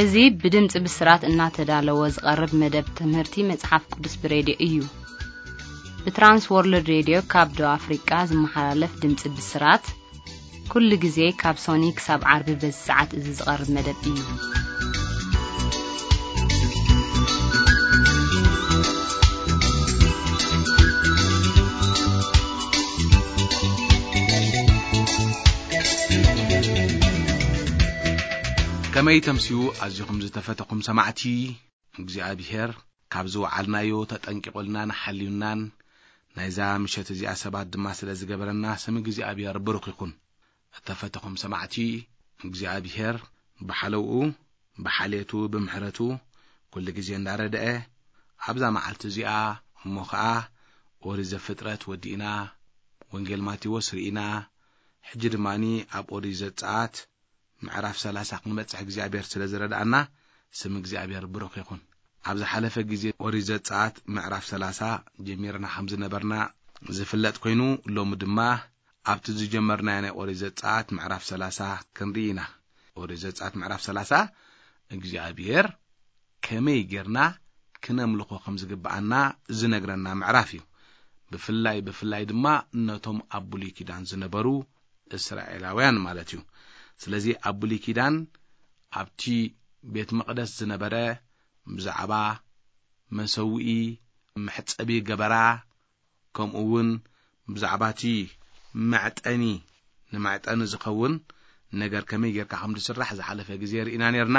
እዚ ብድምጺ ብስራት እናተዳለወ ዝቐርብ መደብ ትምህርቲ መጽሓፍ ቅዱስ ብሬድዮ እዩ። ብትራንስ ወርልድ ሬድዮ ካብ ደቡብ ኣፍሪቃ ዝመሓላለፍ ድምጺ ብስራት፣ ኩሉ ግዜ ካብ ሶኒ ክሳብ ዓርቢ በዚ ሰዓት እዚ ዝቐርብ መደብ እዩ። ከመይ ተምስዩ ኣዚኹም ዝተፈተኹም ሰማዕቲ፣ እግዚኣብሔር ካብ ዝወዓልናዮ ተጠንቂቑልናን ሓልዩናን፣ ናይዛ ምሸት እዚኣ ሰባት ድማ ስለ ዝገበረና፣ ስም እግዚኣብሔር ብሩኽ ይኹን። እተፈተኹም ሰማዕቲ፣ እግዚኣብሔር ብሓለውኡ፣ ብሓልየቱ፣ ብምሕረቱ፣ ኩሉ ግዜ እንዳረድአ፣ ኣብዛ መዓልቲ እዚኣ እሞ ኸኣ ኦሪት ዘፍጥረት ወዲእና፣ ወንጌል ማቴዎስ ርኢና፣ ሕጂ ድማኒ ኣብ ኦሪት ዘጸኣት ምዕራፍ ሰላሳ ክንበጽሕ እግዚኣብሔር ስለ ዝረድኣና፣ ስም እግዚኣብሔር ብሩኽ ይኹን። ኣብ ዝሓለፈ ግዜ ኦሪት ዘጸኣት ምዕራፍ ሰላሳ ጀሚርና ከም ዝነበርና ዝፍለጥ ኮይኑ፣ ሎሚ ድማ ኣብቲ ዝጀመርናዮ ናይ ኦሪት ዘጸኣት ምዕራፍ ሰላሳ ክንርኢ ኢና። ኦሪት ዘጸኣት ምዕራፍ ሰላሳ እግዚኣብሔር ከመይ ጌርና ክነምልኾ ከም ዝግብኣና ዝነግረና ምዕራፍ እዩ። ብፍላይ፣ ብፍላይ ድማ ነቶም ኣብ ብሉይ ኪዳን ዝነበሩ እስራኤላውያን ማለት እዩ። ስለዚ ኣብ ብሉይ ኪዳን ኣብቲ ቤት መቕደስ ዝነበረ ብዛዕባ መሰውኢ፣ መሕጸቢ ገበራ፣ ከምኡ እውን ብዛዕባ እቲ መዕጠኒ፣ ንመዕጠኒ ዝኸውን ነገር ከመይ ጌርካ ከም ዝስራሕ ዝሓለፈ ግዜ ርኢና ኔርና።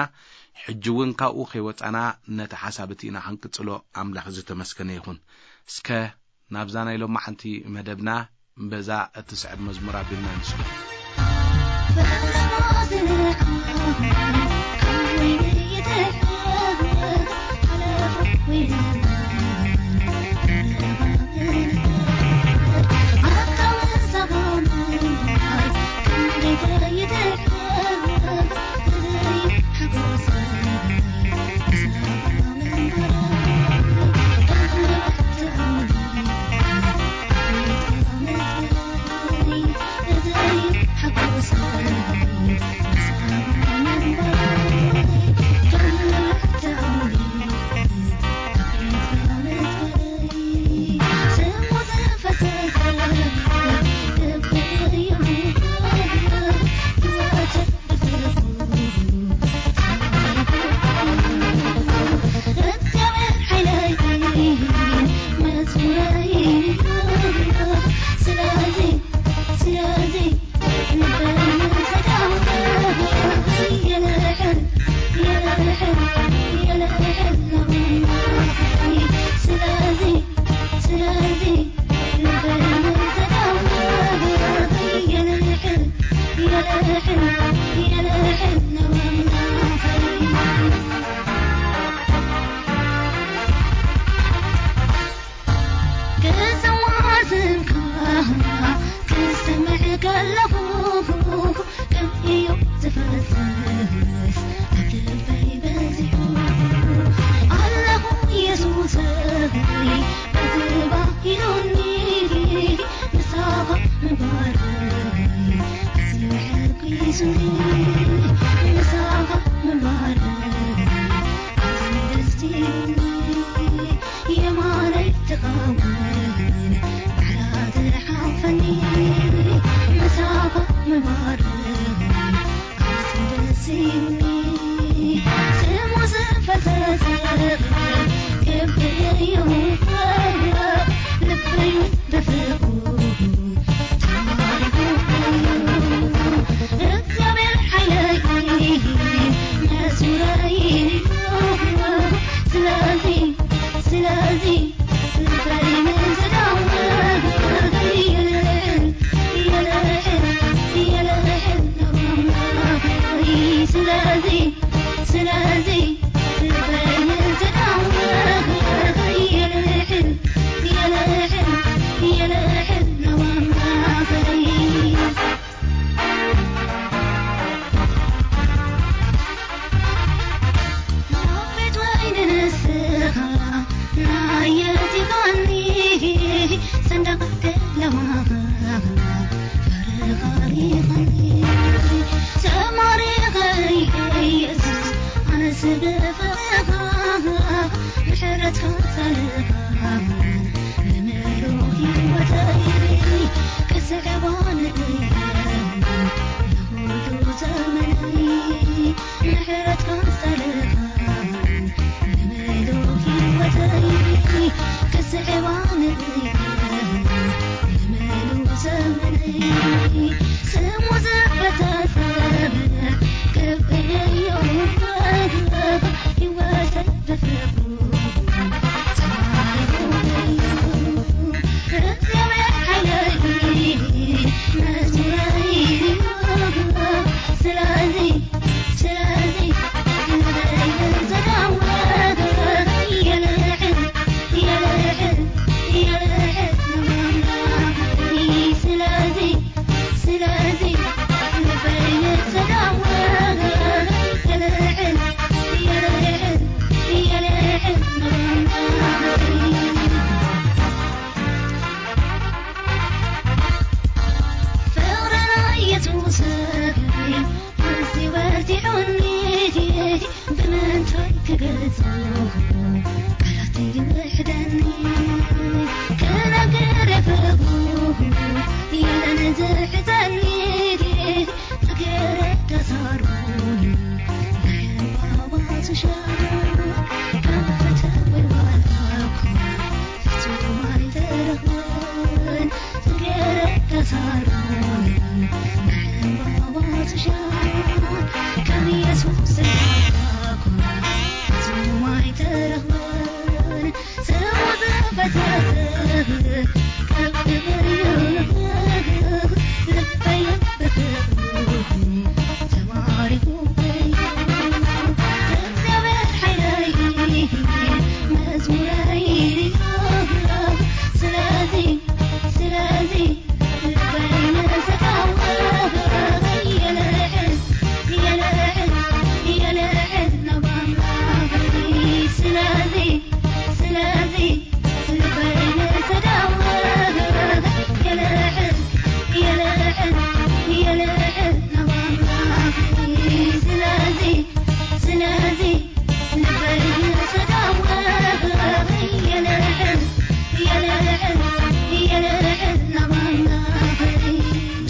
ሕጂ እውን ካብኡ ከይወጻና ነቲ ሓሳብ እቲ ኢና ክንቅጽሎ። ኣምላኽ ዝተመስገነ ይኹን። እስከ ናብዛ ናይ ሎማዓንቲ መደብና በዛ እትስዕብ መዝሙር ኣቢልና ንስጉም።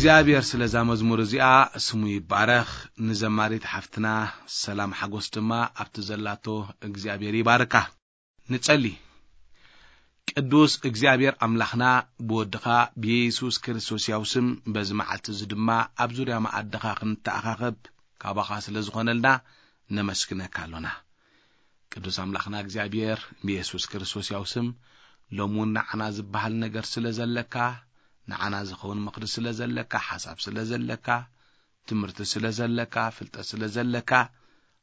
እግዚኣብሔር ስለዛ መዝሙር እዚኣ ስሙ ይባረኽ። ንዘማሪት ሓፍትና ሰላም ሓጎስ ድማ ኣብቲ ዘላቶ እግዚኣብሔር ይባርካ። ንጸሊ። ቅዱስ እግዚኣብሔር ኣምላኽና፣ ብወድኻ ብየሱስ ክርስቶስ ያው ስም በዚ መዓልቲ እዚ ድማ ኣብ ዙርያ መኣድኻ ክንተኣኻኸብ ካባኻ ስለ ዝኾነልና ነመስግነካ ኣሎና። ቅዱስ ኣምላኽና እግዚኣብሔር፣ ብየሱስ ክርስቶስ ያው ስም ሎም እውን ንዓና ዝበሃል ነገር ስለ ዘለካ፣ ንዓና ዝኸውን ምኽሪ ስለ ዘለካ፣ ሓሳብ ስለ ዘለካ፣ ትምህርቲ ስለ ዘለካ፣ ፍልጠት ስለ ዘለካ፣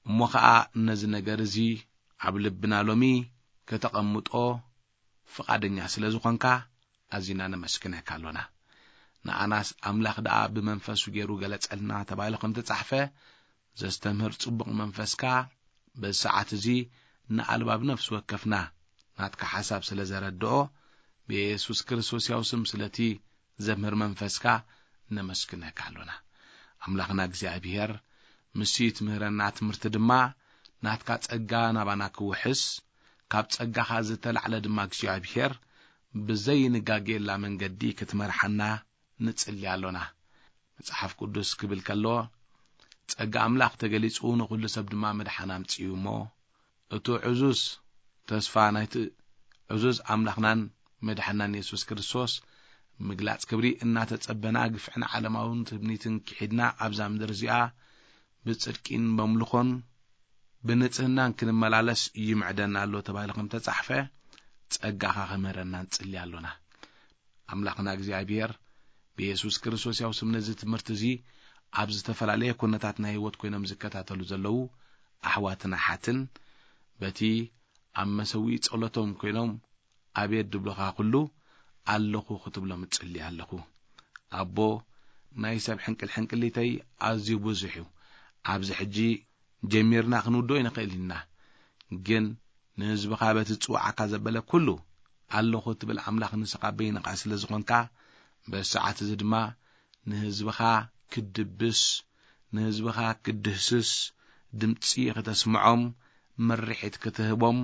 እሞ ኸኣ ነዚ ነገር እዚ ኣብ ልብና ሎሚ ከተቐምጦ ፍቓደኛ ስለ ዝኾንካ ኣዚና ነመስግነካ ኣሎና። ንኣናስ ኣምላኽ ደኣ ብመንፈሱ ገይሩ ገለጸልና ተባሂሉ ከም ተጻሕፈ፣ ዘስተምህር ጽቡቕ መንፈስካ በዚ ሰዓት እዚ ንኣልባብ ነፍሲ ወከፍና ናትካ ሓሳብ ስለ ዘረድኦ፣ ብየሱስ ክርስቶስ ያው ስም ስለቲ ዘምህር መንፈስካ ነመስግነካ ኣሎና። ኣምላኽና እግዚኣብሔር፣ ምስቲ ትምህረና ትምህርቲ ድማ ናትካ ጸጋ ናባና ክውሕስ፣ ካብ ጸጋኻ ዝተላዕለ ድማ እግዚኣብሔር ብዘይንጋጌላ መንገዲ ክትመርሓና ንጽሊ ኣሎና። መጽሓፍ ቅዱስ ክብል ከሎ፣ ጸጋ ኣምላኽ ተገሊጹ ንኹሉ ሰብ ድማ ምድሓን ኣምጺኡ እሞ፣ እቱ ዕዙዝ ተስፋ ናይቲ ዕዙዝ ኣምላኽናን መድሓናን የሱስ ክርስቶስ ምግላጽ ክብሪ እናተጸበና፣ ግፍዕን ዓለማውን ትምኒትን ክሒድና ኣብዛ ምድሪ እዚኣ ብጽድቂን በምልኾን ብንጽህናን ክንመላለስ ይምዕደና ኣሎ ተባሂሉ ከም ተጻሕፈ፣ ጸጋኻ ክምህረና ንጽሊ ኣሎና። ኣምላኽና እግዚኣብሔር ብየሱስ ክርስቶስ ያው ስም ነዚ ትምህርቲ እዚ ኣብ ዝተፈላለየ ኩነታት ናይ ህይወት ኮይኖም ዝከታተሉ ዘለዉ ኣሕዋትን ኣሓትን በቲ ኣብ መሰውኢ ጸሎቶም ኮይኖም ኣቤት ድብሉኻ ኩሉ ኣለኹ ክትብሎም እጽሊ ኣለኹ። ኣቦ፣ ናይ ሰብ ሕንቅል ሕንቅሊተይ ኣዝዩ ብዙሕ እዩ። ኣብዚ ሕጂ ጀሚርና ክንውድኦ ኣይንኽእል ኢና። ግን ንህዝብኻ በቲ ዝጽውዓካ ዘበለ ኩሉ ኣለኹ ትብል ኣምላኽ ንስኻ በይንኻ ስለ ዝኾንካ፣ በዚ ሰዓት እዚ ድማ ንህዝብኻ ክትድብስ፣ ንህዝብኻ ክትድህስስ፣ ድምጺ ክተስምዖም፣ ምርሒት ክትህቦም፣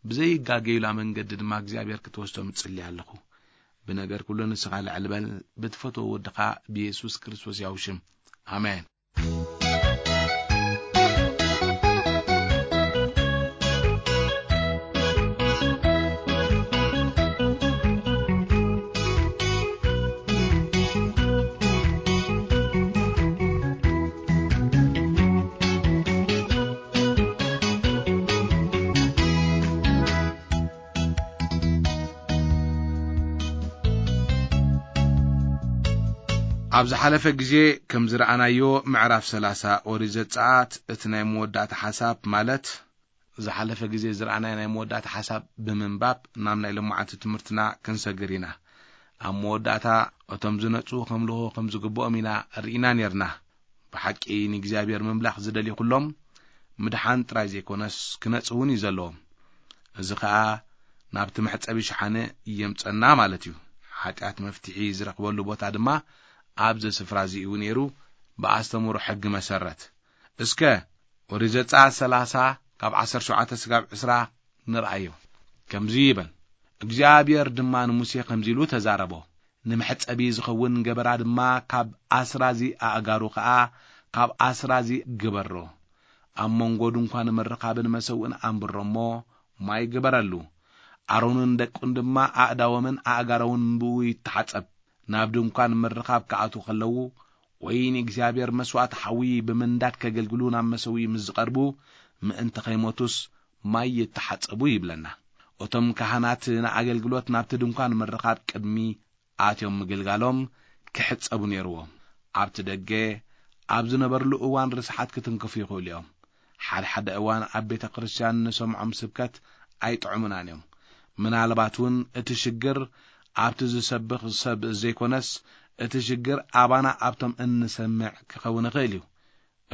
ብዘይጋገዩላ መንገዲ ድማ እግዚኣብሔር ክትወስዶም እጽሊ ኣለኹ። ብነገር ኩሉ ንስኻ ልዕል በል፣ ብትፈትዎ ወድኻ ብየሱስ ክርስቶስ ያው ሽም። ኣሜን። ኣብ ዝሓለፈ ግዜ ከም ዝረኣናዮ፣ ምዕራፍ ሰላሳ ኦሪት ዘጸኣት እቲ ናይ መወዳእታ ሓሳብ፣ ማለት ዝሓለፈ ግዜ ዝረኣናዮ ናይ መወዳእታ ሓሳብ ብምንባብ ናብ ናይ ሎማዓንቲ ትምህርትና ክንሰግር ኢና። ኣብ መወዳእታ እቶም ዝነጹ ከምልኹ ከም ዝግብኦም ኢና ርኢና ኔርና። ብሓቂ ንእግዚኣብሔር ምምላኽ ዝደልዩ ኩሎም ምድሓን ጥራይ ዘይኮነስ ክነጽ እውን እዩ ዘለዎም። እዚ ኸኣ ናብቲ መሕጸቢ ሸሓነ የምጸና ማለት እዩ። ሓጢኣት መፍትሒ ዝረኽበሉ ቦታ ድማ ኣብዚ ስፍራ እዚ እዩ ነይሩ፣ ብኣስተምህሮ ሕጊ መሰረት። እስከ ኦሪት ዘጸኣት ሰላሳ ካብ ዓሰርተ ሸውዓተ ስጋብ ዕስራ ንርኣዮ። ከምዚ ይብል፣ እግዚኣብሔር ድማ ንሙሴ ከምዚ ኢሉ ተዛረቦ፣ ንመሕጸቢ ዝኸውን ገበራ ድማ ካብ ኣስራዚ ኣእጋሩ ኸኣ ካብ ኣስራዚ ግበሮ። ኣብ መንጎ ድንኳን ምርኻብን መሰውእን ኣንብሮ እሞ ማይ ግበረሉ። ኣሮንን ደቁን ድማ ኣእዳዎምን ኣእጋሮምን ብኡ ይተሓጸብ። ናብ ድንኳን ምርኻብ ክኣትዉ ከለዉ ወይ ንእግዚኣብሔር መስዋእቲ ሓዊ ብምንዳድ ከገልግሉ ናብ መሰውኢ ምስ ዝቐርቡ ምእንቲ ኸይሞቱስ ማይ ይተሓጸቡ ይብለና። እቶም ካህናት ንኣገልግሎት ናብቲ ድንኳን ምርኻብ ቅድሚ ኣትዮም ምግልጋሎም ክሕጸቡ ነይርዎም። ኣብቲ ደገ ኣብ ዝነበርሉ እዋን ርስሓት ክትንክፉ ይኽእሉ እዮም። ሓደ ሓደ እዋን ኣብ ቤተ ክርስቲያን ንሰምዖም ስብከት ኣይጥዕሙናን እዮም። ምናልባት እውን እቲ ሽግር ኣብቲ ዝሰብኽ ሰብ ዘይኮነስ እቲ ሽግር ኣባና ኣብቶም እንሰምዕ ክኸውን ይኽእል እዩ።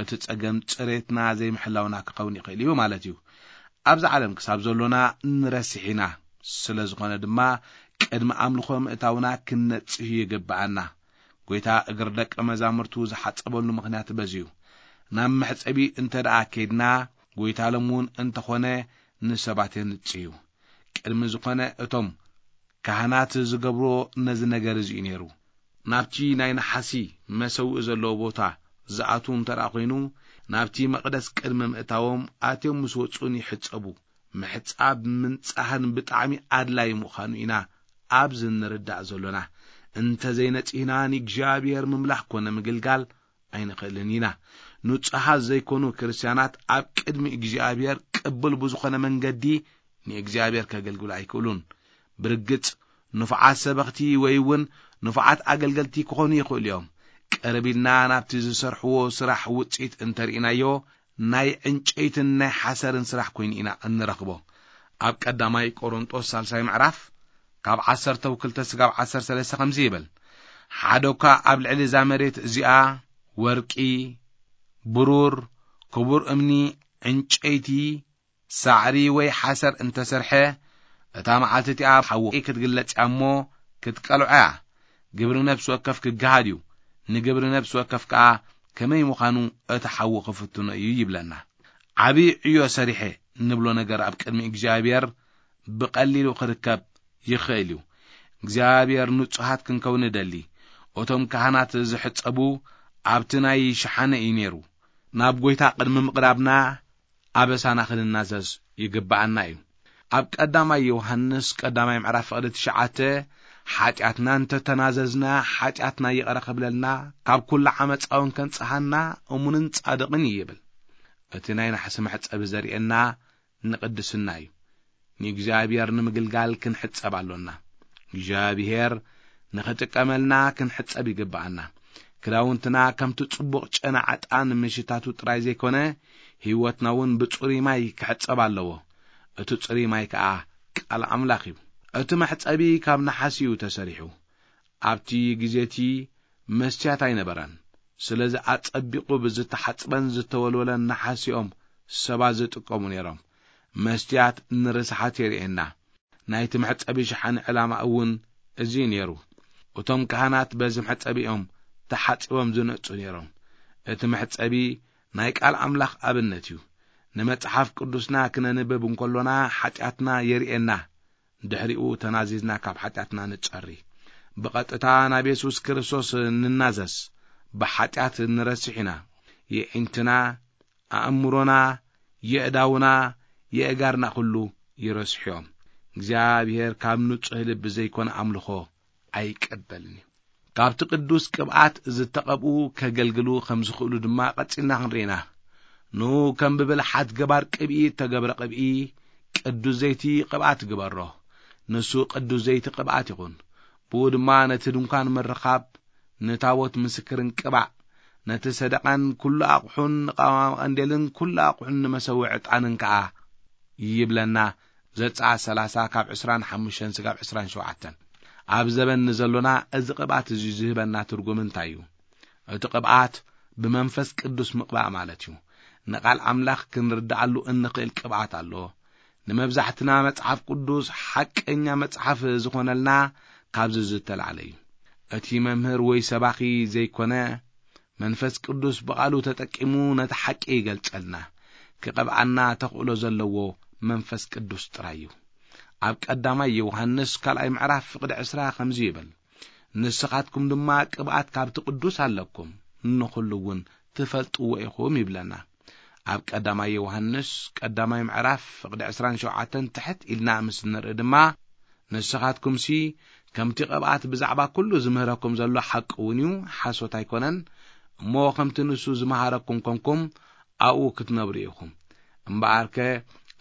እቲ ጸገም ጽሬትና ዘይምሕላውና ክኸውን ይኽእል እዩ ማለት እዩ። ኣብዚ ዓለም ክሳብ ዘሎና ንረስሕ ኢና። ስለ ዝኾነ ድማ ቅድሚ ኣምልኾ ምእታውና ክንነጽህ ይግብኣና። ጐይታ እግሪ ደቀ መዛሙርቱ ዝሓጸበሉ ምኽንያት በዚ እዩ። ናብ መሕጸቢ እንተ ደኣ ከይድና ጐይታ ሎም እውን እንተኾነ ንሰባት የንጽህ እዩ። ቅድሚ ዝኾነ እቶም ካህናት ዝገብርዎ ነዚ ነገር እዚ እዩ ነይሩ። ናብቲ ናይ ነሓሲ መሰውኢ ዘለዎ ቦታ ዝኣትዉ እንተ ደኣ ኾይኑ፣ ናብቲ መቕደስ ቅድሚ ምእታዎም ኣትዮም ምስ ወጹን ይሕጸቡ። ምሕጻብ ምንጻህን ብጣዕሚ ኣድላዪ ምዃኑ ኢና ኣብዚ እንርዳእ ዘሎና። እንተ ዘይነጺህና ንእግዚኣብሔር ምምላኽ ኮነ ምግልጋል ኣይንኽእልን ኢና። ንጹሃት ዘይኮኑ ክርስትያናት ኣብ ቅድሚ እግዚኣብሔር ቅቡል ብዝኾነ መንገዲ ንእግዚኣብሔር ከገልግሉ ኣይክእሉን። ብርግጽ ንፉዓት ሰበኽቲ ወይ እውን ንፉዓት ኣገልገልቲ ክኾኑ ይኽእሉ እዮም። ቀረብ ኢልና ናብቲ ዝሰርሕዎ ስራሕ ውጽኢት እንተርኢናዮ፣ ናይ ዕንጨይትን ናይ ሓሰርን ስራሕ ኮይኑ ኢና እንረኽቦ። ኣብ ቀዳማይ ቆሮንጦስ ሳልሳይ ምዕራፍ ካብ ዓሰርተ ክልተ ስጋብ ዓሰርተ ሰለስተ ከምዚ ይብል፣ ሓደ እኳ ኣብ ልዕሊ እዛ መሬት እዚኣ ወርቂ፣ ብሩር፣ ክቡር እምኒ፣ ዕንጨይቲ፣ ሳዕሪ ወይ ሓሰር እንተሰርሐ፣ እታ መዓልቲ እቲኣ ሓዊ ክትግለጽ እያ እሞ ክትቀልዖ እያ። ግብሪ ነፍሲ ወከፍ ክገሃድ እዩ፣ ንግብሪ ነፍሲ ወከፍ ከኣ ከመይ ምዃኑ እቲ ሓዊ ክፍትኖ እዩ ይብለና። ዓብዪ ዕዮ ሰሪሐ እንብሎ ነገር ኣብ ቅድሚ እግዚኣብሔር ብቐሊሉ ክርከብ ይኽእል እዩ። እግዚኣብሔር ንጹሃት ክንከውን ንደሊ። እቶም ካህናት ዝሕጸቡ ኣብቲ ናይ ሸሓነ እዩ ነይሩ። ናብ ጐይታ ቅድሚ ምቕራብና ኣበሳና ክንናዘዝ ይግብኣና እዩ። ኣብ ቀዳማይ ዮሃንስ ቀዳማይ ምዕራፍ ፍቕዲ ትሽዓተ፣ ሓጢኣትና እንተተናዘዝና፣ ሓጢኣትና ይቕረ ክብለልና፣ ካብ ኩሉ ዓመጻ እውን ከንጽሃና እሙንን ጻድቕን እዩ ይብል። እቲ ናይ ናሕሲ መሕጸቢ ዘርእየና ንቕድስና እዩ። ንእግዚኣብሔር ንምግልጋል ክንሕጸብ ኣሎና። እግዚኣብሔር ንኽጥቀመልና ክንሕጸብ ይግብኣና። ክዳውንትና ከምቲ ጽቡቕ ጨና ዕጣን ምሽታቱ ጥራይ ዘይኮነ፣ ህይወትና እውን ብጽሩይ ማይ ክሕጸብ ኣለዎ። እቲ ጽሩይ ማይ ከኣ ቃል ኣምላኽ እዩ። እቲ መሕጸቢ ካብ ነሓስ እዩ ተሰሪሑ። ኣብቲ ግዜ እቲ መስትያት ኣይነበረን። ስለዚ ኣጸቢቑ ብዝተሓጽበን ዝተወልወለን ነሓስ እዮም ሰባት ዝጥቀሙ ነይሮም። መስትያት ንርስሓት የርእየና። ናይቲ መሕጸቢ ሸሓኒ ዕላማ እውን እዚ እዩ ነይሩ። እቶም ካህናት በዚ መሕጸቢ እዮም ተሓጺቦም ዝነጹ ነይሮም። እቲ መሕጸቢ ናይ ቃል ኣምላኽ ኣብነት እዩ። ንመጽሓፍ ቅዱስና ክነንብብ እንከሎና ሓጢኣትና የርእየና። ድሕሪኡ ተናዚዝና ካብ ሓጢኣትና ንጸሪ። ብቐጥታ ናብ የሱስ ክርስቶስ ንናዘዝ። ብሓጢኣት ንረስሕ ኢና። የዒንትና፣ ኣእምሮና፣ የእዳውና፣ የእጋርና ኩሉ ይረስሑ እዮም። እግዚኣብሔር ካብ ንጹህ ልቢ ዘይኮነ ኣምልኾ ኣይቀበልን እዩ። ካብቲ ቅዱስ ቅብኣት ዝተቐብኡ ከገልግሉ ከም ዝኽእሉ ድማ ቀጺልና ክንርኢ ኢና። ንኡ ከም ብብልሓት ገባር ቅብኢ እተገብረ ቅብኢ፣ ቅዱስ ዘይቲ ቅብኣት ግበሮ። ንሱ ቅዱስ ዘይቲ ቅብኣት ይኹን። ብኡ ድማ ነቲ ድንኳን ምርኻብ፣ ንታቦት ምስክርን ቅባእ፣ ነቲ ሰደቓን ኩሉ ኣቕሑን ንቐዋሚ ቀንዴልን ኩሉ ኣቕሑን ንመሰውኢ ዕጣንን ከኣ ይብለና። ዘጸኣት ሰላሳ ካብ ዕስራን ሓሙሽተን ስጋብ ዕስራን ሸውዓተን። ኣብ ዘበን ንዘሎና እዚ ቅብኣት እዚ ዝህበና ትርጉም እንታይ እዩ? እቲ ቅብኣት ብመንፈስ ቅዱስ ምቕባእ ማለት እዩ። ንቓል ኣምላኽ ክንርድኣሉ እንኽእል ቅብኣት ኣሎ። ንመብዛሕትና መጽሓፍ ቅዱስ ሓቀኛ መጽሓፍ ዝኾነልና ካብዚ ዝተላዕለ እዩ። እቲ መምህር ወይ ሰባኺ ዘይኮነ፣ መንፈስ ቅዱስ ብቓሉ ተጠቂሙ ነቲ ሓቂ ይገልጸልና። ክቐብኣና ተኽእሎ ዘለዎ መንፈስ ቅዱስ ጥራይ እዩ። ኣብ ቀዳማይ ዮሃንስ ካልኣይ ምዕራፍ ፍቕዲ ዕስራ ከምዚ ይብል፣ "ንስኻትኩም ድማ ቅብኣት ካብቲ ቅዱስ ኣለኩም፣ ንኹሉ እውን ትፈልጥዎ ኢኹም" ይብለና። ኣብ ቀዳማይ ዮሃንስ ቀዳማይ ምዕራፍ ፍቕዲ ዕስራን ሸውዓተን ትሕት ኢልና ምስ ንርኢ ድማ፣ "ንስኻትኩምሲ ከምቲ ቅብኣት ብዛዕባ ኩሉ ዝምህረኩም ዘሎ ሓቂ እውን እዩ፣ ሓሶት ኣይኮነን። እሞ ከምቲ ንሱ ዝመሃረኩም ኮንኩም ኣብኡ ክትነብሩ ኢኹም። እምበኣርከ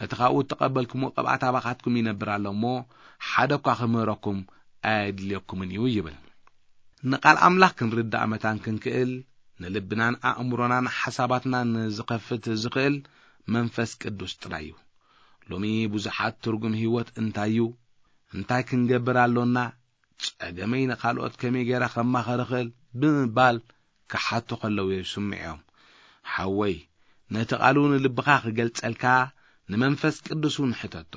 እቲ ካብኡ እተቐበልኩምዎ ቅብኣት ኣባኻትኩም ይነብር ኣሎ እሞ፣ ሓደ እኳ ክምህረኩም ኣየድልየኩምን እዩ" ይብል። ንቓል ኣምላኽ ክንርዳእ መታን ክንክእል፣ ንልብናን ኣእምሮናን ሓሳባትናን ዝኸፍት ዝኽእል መንፈስ ቅዱስ ጥራይ እዩ። ሎሚ ብዙሓት ትርጉም ህይወት እንታይ እዩ? እንታይ ክንገብር ኣሎና? ጸገመይ ንኻልኦት ከመይ ገይረ ከማኸር እኽእል? ብምባል ክሓቱ ከለዉ ይስምዑ እዮም። ሓወይ፣ ነቲ ቃሉ ንልብኻ ክገልጸልካ ንመንፈስ ቅዱስ እውን ሕተቶ።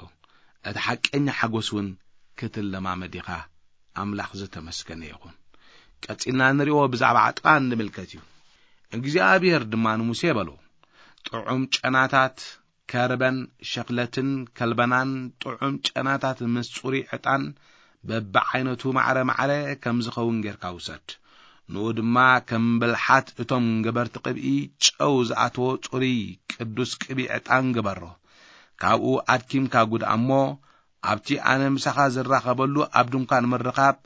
እቲ ሓቀኛ ሓጎስ እውን ክትለማመድ ኢኻ። ኣምላኽ ዝተመስገነ ይኹን። ቀጺልና ንሪኦ ብዛዕባ ዕጥቓን ንምልከት እዩ። እግዚኣብሔር ድማ ንሙሴ በሎ፣ "ጥዑም ጨናታት ከርበን ሸኽለትን ከልበናን ጥዑም ጨናታት ምስ ጽሩይ ዕጣን በብዓይነቱ ማዕረ ማዕረ ከም ዝኸውን ጌርካ ውሰድ። ንኡ ድማ ከም ብልሓት እቶም ገበርቲ ቅብኢ ጨው ዝኣተዎ ጽሩይ ቅዱስ ቅብኢ ዕጣን ግበሮ። ካብኡ ኣድኪምካ ጉድኣ እሞ፣ ኣብቲ ኣነ ምሳኻ ዝራኸበሉ ኣብ ድንኳን ምርኻብ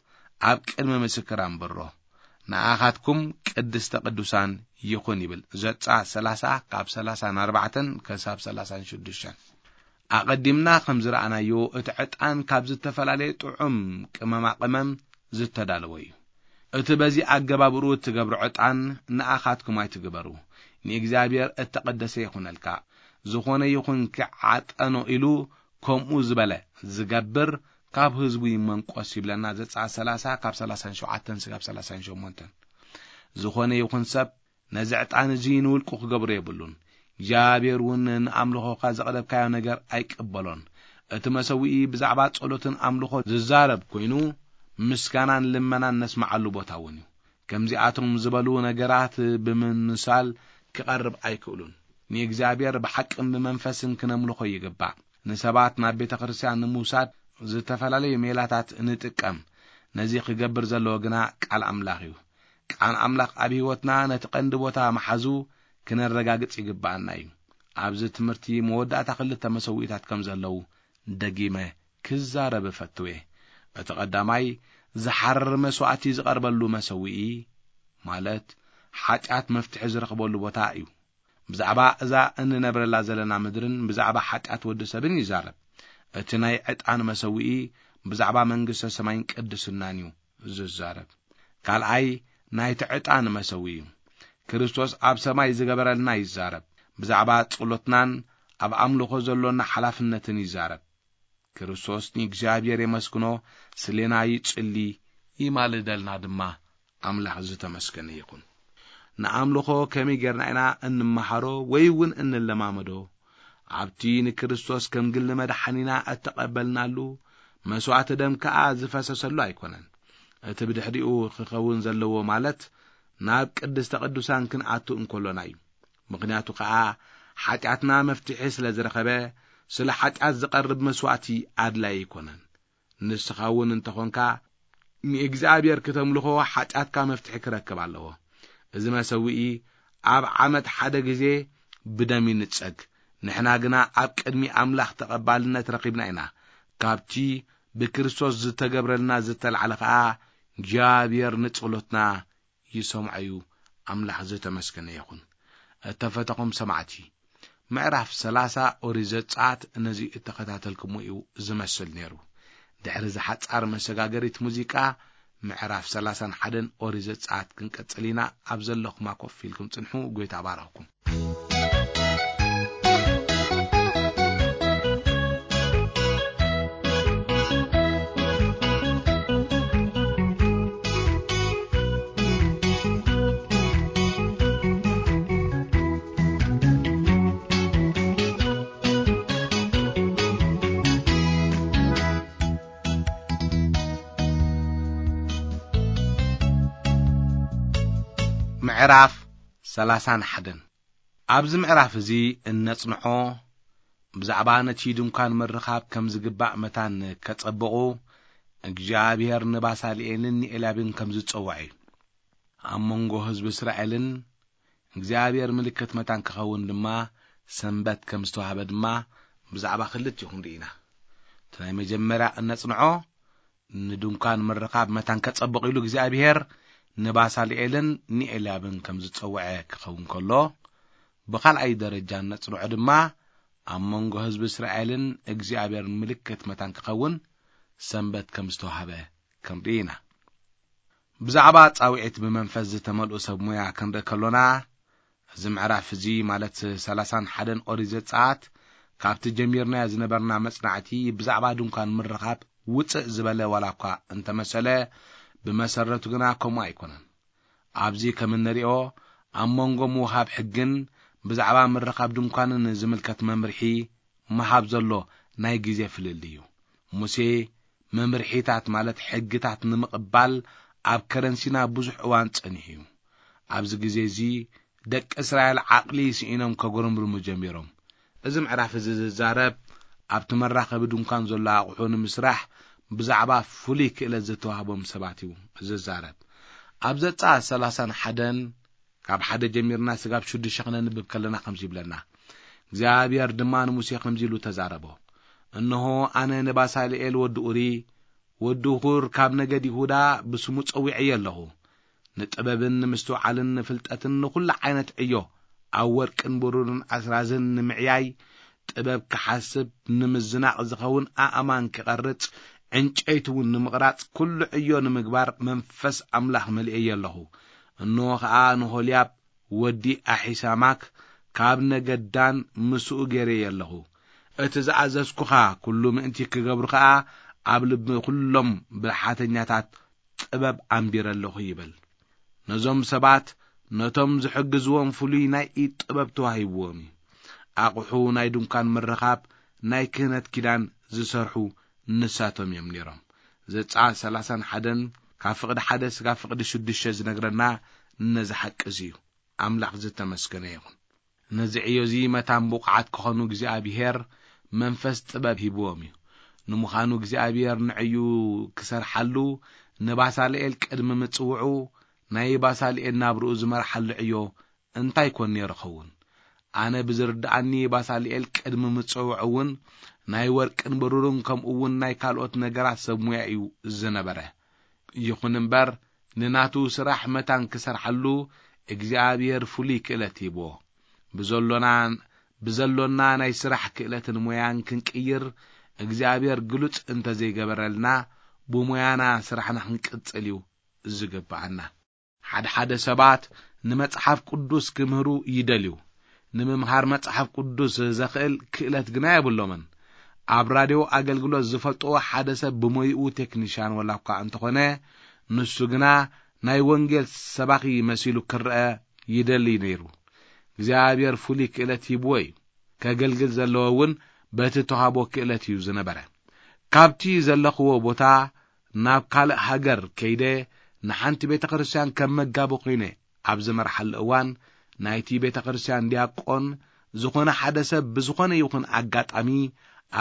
ኣብ ቅድሚ ምስክር ኣንብሮ። ንኣኻትኩም ቅድስተ ቅዱሳን ይኹን ይብል። ዘጻት ሰላሳ ካብ ሰላሳን ኣርባዕተን ክሳብ ሰላሳን ሽዱሽተን። ኣቐዲምና ከም ዝረኣናዮ፣ እቲ ዕጣን ካብ ዝተፈላለየ ጥዑም ቅመማ ቅመም ዝተዳለወ እዩ። እቲ በዚ ኣገባብ ርኡ እትገብሮ ዕጣን ንኣኻትኩም ኣይትግበሩ፣ ንእግዚኣብሔር እተቐደሰ ይኹነልካ። ዝኾነ ይኹን ክዓጠኖ ኢሉ ከምኡ ዝበለ ዝገብር ካብ ህዝቡ ይመንቆስ ይብለና። ዘጸኣት ሰላሳ ካብ ሰላሳን ሸውዓተን ስጋብ ሰላሳን ሸሞንተን። ዝኾነ ይኹን ሰብ ነዚ ዕጣን እዚ ንውልቁ ክገብሮ የብሉን። እግዚኣብሔር እውን ንኣምልኾኻ ዘቕረብካዮ ነገር ኣይቅበሎን። እቲ መሰውኢ ብዛዕባ ጸሎትን ኣምልኾ ዝዛረብ ኮይኑ፣ ምስጋናን ልመናን ነስምዓሉ ቦታ እውን እዩ። ከምዚኣቶም ዝበሉ ነገራት ብምምሳል ክቐርብ ኣይክእሉን። ንእግዚኣብሔር ብሓቅን ብመንፈስን ክነምልኾ ይግባእ። ንሰባት ናብ ቤተ ክርስቲያን ንምውሳድ ዝተፈላለዩ ሜላታት ንጥቀም። ነዚ ክገብር ዘለዎ ግና ቃል ኣምላኽ እዩ። ቃል ኣምላኽ ኣብ ህይወትና ነቲ ቀንዲ ቦታ መሓዙ ክነረጋግጽ ይግብኣና እዩ። ኣብዚ ትምህርቲ መወዳእታ ክልተ መሰውኢታት ከም ዘለዉ ደጊመ ክዛረብ እፈቱ እየ። እቲ ቀዳማይ ዝሓርር መስዋእቲ ዝቐርበሉ መሰውኢ፣ ማለት ሓጢኣት መፍትሒ ዝረኽበሉ ቦታ እዩ። ብዛዕባ እዛ እንነብረላ ዘለና ምድርን ብዛዕባ ሓጢኣት ወዲ ሰብን ይዛረብ። እቲ ናይ ዕጣን መሰውኢ ብዛዕባ መንግስተ ሰማይን ቅድስናን እዩ ዝዛረብ። ካልኣይ ናይቲ ዕጣን መሰውኢ እዩ። ክርስቶስ ኣብ ሰማይ ዝገበረልና ይዛረብ። ብዛዕባ ጸሎትናን ኣብ ኣምልኾ ዘሎና ሓላፍነትን ይዛረብ። ክርስቶስ ንእግዚኣብሔር የመስግኖ፣ ስሌና ይጽሊ፣ ይማልደልና ድማ። ኣምላኽ ዝተመስገነ ይኹን። ንኣምልኾ ከመይ ጌርና ኢና እንመሃሮ ወይ እውን እንለማመዶ? ኣብቲ ንክርስቶስ ከም ግሊ መድሓኒና እተቐበልናሉ መስዋእቲ ደም ከኣ ዝፈሰሰሉ ኣይኮነን። እቲ ብድሕሪኡ ክኸውን ዘለዎ፣ ማለት ናብ ቅድስተ ቅዱሳን ክንኣቱ እንከሎና እዩ። ምኽንያቱ ከኣ ሓጢኣትና መፍትሒ ስለ ዝረኸበ፣ ስለ ሓጢኣት ዝቐርብ መስዋእቲ ኣድላዪ ኣይኮነን። ንስኻ እውን እንተኾንካ ንእግዚኣብሔር ክተምልኾ ሓጢኣትካ መፍትሒ ክረክብ ኣለዎ። እዚ መሰውኢ ኣብ ዓመት ሓደ ግዜ ብደም ይንጸግ። ንሕና ግና ኣብ ቅድሚ ኣምላኽ ተቐባልነት ረኺብና ኢና። ካብቲ ብክርስቶስ ዝተገብረልና ዝተላዕለ ኸኣ እግዚኣብሔር ንጸሎትና ይሰምዖ እዩ። ኣምላኽ ዝተመስገነ ይኹን። እተፈተኹም ሰማዕቲ፣ ምዕራፍ ሰላሳ ኦሪት ዘጸኣት ነዚ እተኸታተልኩሞ እዩ ዝመስል ነይሩ። ድሕሪ እዚ ሓጻር መሰጋገሪት ሙዚቃ፣ ምዕራፍ ሰላሳን ሓደን ኦሪት ዘጸኣት ክንቀጽል ኢና። ኣብ ዘለኹማ ኮፍ ኢልኩም ጽንሑ። ጐይታ ባረኽኩም። ምዕራፍ ሰላሳን ሓደን። ኣብዚ ምዕራፍ እዚ እነጽንዖ፣ ብዛዕባ ነቲ ድንኳን ምርኻብ ከም ዝግባእ መታን ከጸብቑ፣ እግዚኣብሔር ንባሳልኤልን ንኤልያብን ከም ዝጸውዐ እዩ። ኣብ መንጎ ህዝቢ እስራኤልን እግዚኣብሔር ምልክት መታን ክኸውን ድማ ሰንበት ከም ዝተዋህበ ድማ ብዛዕባ ክልቲኡ ክንርኢ ኢና። እቲ ናይ መጀመርያ እነጽንዖ፣ ንድንኳን ምርኻብ መታን ከጸብቕ ኢሉ እግዚኣብሔር ንባሳልኤልን ንኤልያብን ከም ዝጸውዐ ክኸውን ከሎ፣ ብኻልኣይ ደረጃ እነጽንዖ ድማ ኣብ መንጎ ህዝቢ እስራኤልን እግዚኣብሔር ምልክት መታን ክኸውን ሰንበት ከም ዝተዋህበ ክንርኢ ኢና። ብዛዕባ ጻውዒት ብመንፈስ ዝተመልኡ ሰብ ሞያ ክንርኢ ከሎና፣ እዚ ምዕራፍ እዚ ማለት ሰላሳን ሓደን ኦሪት ዘጸኣት ካብቲ ጀሚርናዮ ዝነበርና መጽናዕቲ ብዛዕባ ድንኳን ምርኻብ ውጽእ ዝበለ ዋላ እኳ እንተመሰለ፣ ብመሰረቱ ግና ከምኡ ኣይኮነን። ኣብዚ ከም እንሪኦ ኣብ መንጎ ምውሃብ ሕግን ብዛዕባ ምርኻብ ድንኳንን ዝምልከት መምርሒ ምሃብ ዘሎ ናይ ግዜ ፍልልይ እዩ። ሙሴ መምርሒታት ማለት ሕግታት ንምቕባል ኣብ ከረን ሲና ብዙሕ እዋን ጸኒሑ እዩ። ኣብዚ ግዜ እዚ ደቂ እስራኤል ዓቕሊ ስኢኖም ከጉረምርሙ ጀሚሮም። እዚ ምዕራፍ እዚ ዝዛረብ ኣብቲ መራኸቢ ድንኳን ዘሎ ኣቑሑ ንምስራሕ ብዛዕባ ፍሉይ ክእለት ዝተዋህቦም ሰባት እዩ ዝዛረብ። ኣብ ዘጻ ሰላሳን ሓደን ካብ ሓደ ጀሚርና ስጋብ ሽዱሽተ ክነንብብ ከለና ከምዚ ይብለና። እግዚኣብሔር ድማ ንሙሴ ከምዚ ኢሉ ተዛረቦ። እንሆ ኣነ ንባሳልኤል ወዲ ኡሪ፣ ወዲ ሁር ካብ ነገድ ይሁዳ ብስሙ ጸዊዐዮ ኣለኹ። ንጥበብን ንምስትውዓልን ንፍልጠትን ንኹሉ ዓይነት ዕዮ ኣብ ወርቅን ብሩርን ኣስራዝን ንምዕያይ ጥበብ ክሓስብ ንምዝናቕ ዝኸውን ኣእማን ክቐርጽ ዕንጨይቲ እውን ንምቕራጽ ኩሉ ዕዮ ንምግባር መንፈስ ኣምላኽ መሊኤዮ ኣለኹ። እንሆ ኸኣ ንሆልያብ ወዲ ኣሒሳማክ ካብ ነገድ ዳን ምስኡ ገይረዮ ኣለኹ። እቲ ዝኣዘዝኩኻ ኩሉ ምእንቲ ክገብሩ ኸኣ ኣብ ልቢ ኩሎም ብልሓተኛታት ጥበብ ኣንቢረ ኣለኹ ይብል። ነዞም ሰባት ነቶም ዝሕግዝዎም ፍሉይ ናይ ኢድ ጥበብ ተዋሂብዎም እዩ። ኣቑሑ ናይ ድንኳን ምርኻብ ናይ ክህነት ኪዳን ዝሰርሑ ንሳቶም እዮም ነይሮም። ዘጻት ሰላሳን ሓደን ካብ ፍቕዲ ሓደ ስጋብ ፍቕዲ ሽዱሽተ ዝነግረና ነዚ ሓቂ እዚ እዩ። ኣምላኽ ዝተመስገነ ይኹን። ነዚ ዕዮ እዚ መታን ብቑዓት ክኾኑ እግዚኣብሔር መንፈስ ጥበብ ሂብዎም እዩ። ንምዃኑ እግዚኣብሔር ንዕዩ ክሰርሓሉ ንባሳልኤል ቅድሚ ምጽውዑ ናይ ባሳልኤል ናብርኡ ዝመርሓሉ ዕዮ እንታይ ኮን ነይሩ ኸውን? ኣነ ብዝርድኣኒ ባሳልኤል ቅድሚ ምጽውዑ እውን ናይ ወርቅን ብሩርን ከምኡ እውን ናይ ካልኦት ነገራት ሰብ ሙያ እዩ ዝነበረ። ይኹን እምበር ንናቱ ስራሕ መታን ክሰርሓሉ እግዚኣብሔር ፍሉይ ክእለት ሂብዎ። ብዘሎና ብዘሎና ናይ ስራሕ ክእለትን ሞያን ክንቅይር እግዚኣብሔር ግሉጽ እንተዘይገበረልና ብሞያና ስራሕና ክንቅጽል እዩ ዝግብኣና። ሓደ ሓደ ሰባት ንመጽሓፍ ቅዱስ ክምህሩ ይደልዩ። ንምምሃር መጽሓፍ ቅዱስ ዘኽእል ክእለት ግና የብሎምን። ኣብ ራድዮ ኣገልግሎት ዝፈልጥዎ ሓደ ሰብ ብሞይኡ ቴክኒሽያን ወላ እኳ እንተኾነ፣ ንሱ ግና ናይ ወንጌል ሰባኺ መሲሉ ክረአ ይደሊ ነይሩ። እግዚኣብሔር ፍሉይ ክእለት ሂብዎ እዩ። ከገልግል ዘለዎ እውን በቲ ተዋህቦ ክእለት እዩ ዝነበረ። ካብቲ ዘለኽዎ ቦታ ናብ ካልእ ሃገር ከይደ ንሓንቲ ቤተ ክርስቲያን ከም መጋቢ ኮይነ ኣብ ዝመርሓሉ እዋን፣ ናይቲ ቤተ ክርስቲያን ዲያቆን ዝኾነ ሓደ ሰብ ብዝኾነ ይኹን ኣጋጣሚ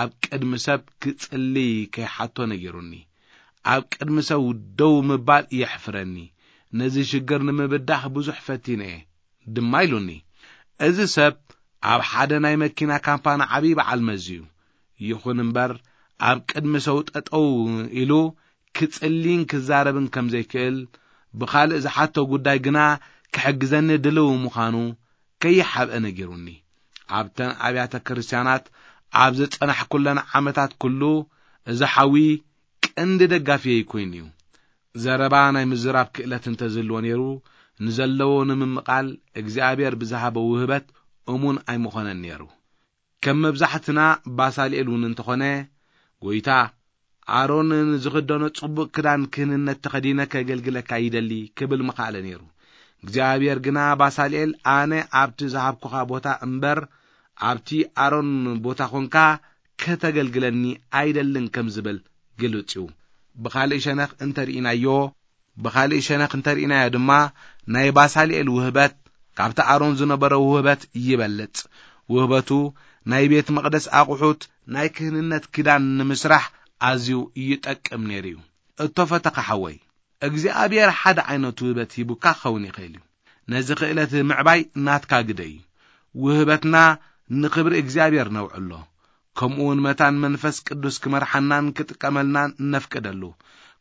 ኣብ ቅድሚ ሰብ ክጽልይ ከይሓቶ ነጊሩኒ። ኣብ ቅድሚ ሰብ ደው ምባል የሕፍረኒ። ነዚ ሽግር ንምብዳህ ብዙሕ ፈቲነ እየ ድማ ኢሉኒ። እዚ ሰብ ኣብ ሓደ ናይ መኪና ካምፓኒ ዓብዪ በዓል መዚ እዩ። ይኹን እምበር ኣብ ቅድሚ ሰው ጠጠው ኢሉ ክጽልይን ክዛረብን ከም ዘይክእል፣ ብኻልእ ዝሓቶ ጉዳይ ግና ክሕግዘኒ ድልው ምዃኑ ከይሓብአ ነጊሩኒ። ኣብተን ኣብያተ ክርስቲያናት ኣብ ዝጸናሕኩለን ዓመታት ኩሉ እዚ ሓዊ ቀንዲ ደጋፊየይ ኮይኑ እዩ። ዘረባ ናይ ምዝራብ ክእለት እንተዝህልዎ ነይሩ፣ ንዘለዎ ንምምቓል እግዚኣብሔር ብዝሃቦ ውህበት እሙን ኣይምኾነን ነይሩ። ከም መብዛሕትና ባሳልኤል እውን እንተኾነ፣ "ጎይታ፣ ኣሮን ንዝኽደኖ ጽቡቕ ክዳን ክህንነት ተኸዲነ ከገልግለካ ይደሊ" ክብል ምኻኣለ ነይሩ። እግዚኣብሔር ግና ባሳልኤል፣ "ኣነ ኣብቲ ዝሃብኩኻ ቦታ እምበር ኣብቲ ኣሮን ቦታ ኾንካ ከተገልግለኒ ኣይደልን" ከም ዝብል ግልጽ እዩ። ብኻልእ ሸነኽ እንተርኢናዮ፣ ብኻልእ ሸነኽ እንተርኢናዮ ድማ ናይ ባሳልኤል ውህበት ካብቲ ኣሮን ዝነበረ ውህበት ይበልጽ። ውህበቱ ናይ ቤት መቕደስ ኣቑሑት፣ ናይ ክህንነት ኪዳን ንምስራሕ ኣዝዩ ይጠቅም ነይሩ እዩ። እቶ ፈተኻ ሓወይ፣ እግዚኣብሔር ሓደ ዓይነት ውህበት ሂቡካ ክኸውን ይኽእል እዩ። ነዚ ክእለት ምዕባይ ናትካ ግደ እዩ። ውህበትና ንኽብሪ እግዚኣብሔር ነውዕሎ። ከምኡ እውን መታን መንፈስ ቅዱስ ክመርሓናን ክጥቀመልናን ነፍቅደሉ።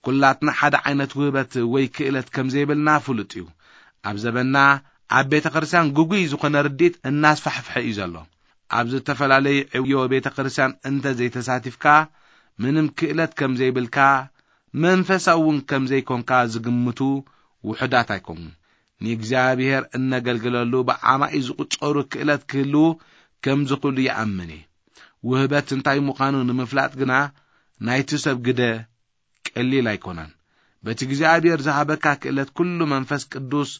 ኩላትና ሓደ ዓይነት ውህበት ወይ ክእለት ከም ዘይብልና ፍሉጥ እዩ። ኣብ ዘበንና ኣብ ቤተ ክርስቲያን ግጉይ ዝኾነ ርዲት እናስፋሕፍሐ እዩ ዘሎ። ኣብ ዝተፈላለዩ ዕዮ ቤተ ክርስቲያን እንተ ዘይተሳቲፍካ፣ ምንም ክእለት ከም ዘይብልካ፣ መንፈሳዊ እውን ከም ዘይኮንካ ዝግምቱ ውሑዳት ኣይኮኑን። ንእግዚኣብሔር እነገልግለሉ ብዓማኢ ዝቑጸሩ ክእለት ክህልዉ ከም ዝኽእሉ ይኣምን እየ። ውህበት እንታይ ምዃኑ ንምፍላጥ ግና ናይቲ ሰብ ግደ ቀሊል ኣይኮነን። በቲ እግዚኣብሔር ዝሃበካ ክእለት ኩሉ መንፈስ ቅዱስ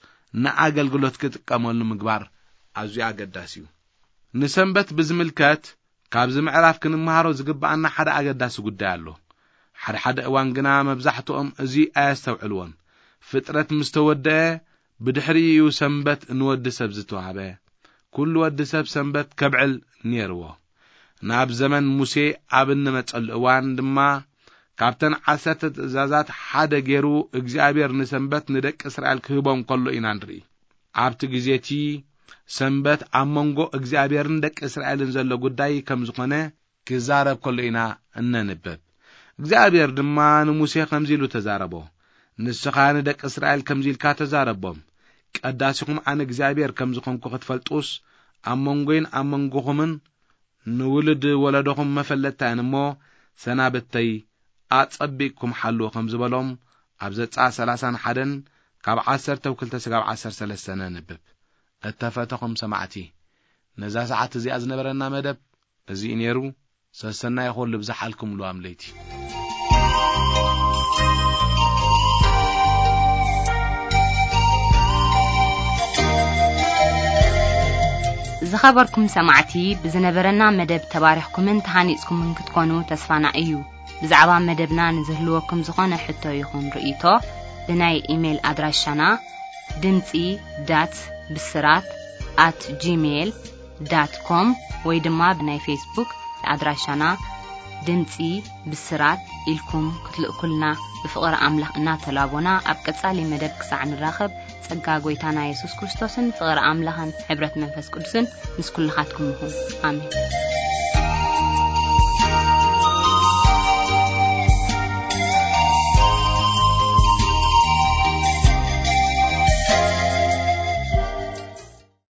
ንኣገልግሎት ክጥቀመሉ ምግባር ኣዝዩ ኣገዳሲ እዩ። ንሰንበት ብዝምልከት ካብዚ ምዕራፍ ክንመሃሮ ዝግብኣና ሓደ ኣገዳሲ ጉዳይ ኣሎ። ሓደ ሓደ እዋን ግና መብዛሕትኦም እዚ ኣየስተውዕልዎን። ፍጥረት ምስ ተወደአ ብድሕሪኡ እዩ ሰንበት ንወዲ ሰብ ዝተዋህበ። ኩሉ ወዲ ሰብ ሰንበት ከብዕል ነይርዎ። ናብ ዘመን ሙሴ ኣብ እንመጸሉ እዋን ድማ ካብተን ዓሰርተ ትእዛዛት ሓደ ገይሩ እግዚኣብሔር ንሰንበት ንደቂ እስራኤል ክህቦም ከሎ ኢና ንርኢ። ኣብቲ ግዜ እቲ ሰንበት ኣብ መንጎ እግዚኣብሔርን ደቂ እስራኤልን ዘሎ ጉዳይ ከም ዝኾነ ክዛረብ ከሎ ኢና እነንብብ። እግዚኣብሔር ድማ ንሙሴ ከምዚ ኢሉ ተዛረቦ፣ "ንስኻ ንደቂ እስራኤል ከምዚ ኢልካ ተዛረቦም፣ ቀዳሲኹም ኣነ እግዚኣብሔር ከም ዝኾንኩ ክትፈልጡስ፣ ኣብ መንጎይን ኣብ መንጎኹምን ንውሉድ ወለዶኹም መፈለጥታ እየን እሞ፣ ሰናብተይ ኣጸቢቕኩም ሓልዉ" ከም ዝበሎም ኣብ ዘጸኣት ሰላሳን ሓደን ካብ ዓሰርተ ክልተ ስጋብ ዓሰርተ ሰለስተ ነንብብ። እተፈተኹም ሰማዕቲ፣ ነዛ ሰዓት እዚኣ ዝነበረና መደብ እዚ እዩ ነይሩ። ሰሰናይ ይኹን ልብዝሓልኩም ልዋም ለይቲ። ዝኸበርኩም ሰማዕቲ፣ ብዝነበረና መደብ ተባሪኽኩምን ተሃኒጽኩምን ክትኮኑ ተስፋና እዩ። ብዛዕባ መደብና ንዝህልወኩም ዝኾነ ሕቶ ይኹን ርእይቶ፣ ብናይ ኢሜይል ኣድራሻና ድምጺ ዳት ብስራት ኣት ጂሜይል ዳት ኮም ወይ ድማ ብናይ ፌስቡክ ኣድራሻና ድምጺ ብስራት ኢልኩም ክትልእኩልና ብፍቕሪ ኣምላኽ እናተላቦና፣ ኣብ ቀጻሊ መደብ ክሳዕ ንራኸብ፣ ጸጋ ጐይታና የሱስ ክርስቶስን ፍቕሪ ኣምላኽን ሕብረት መንፈስ ቅዱስን ምስ ኩልኻትኩም ይኹን። ኣሜን።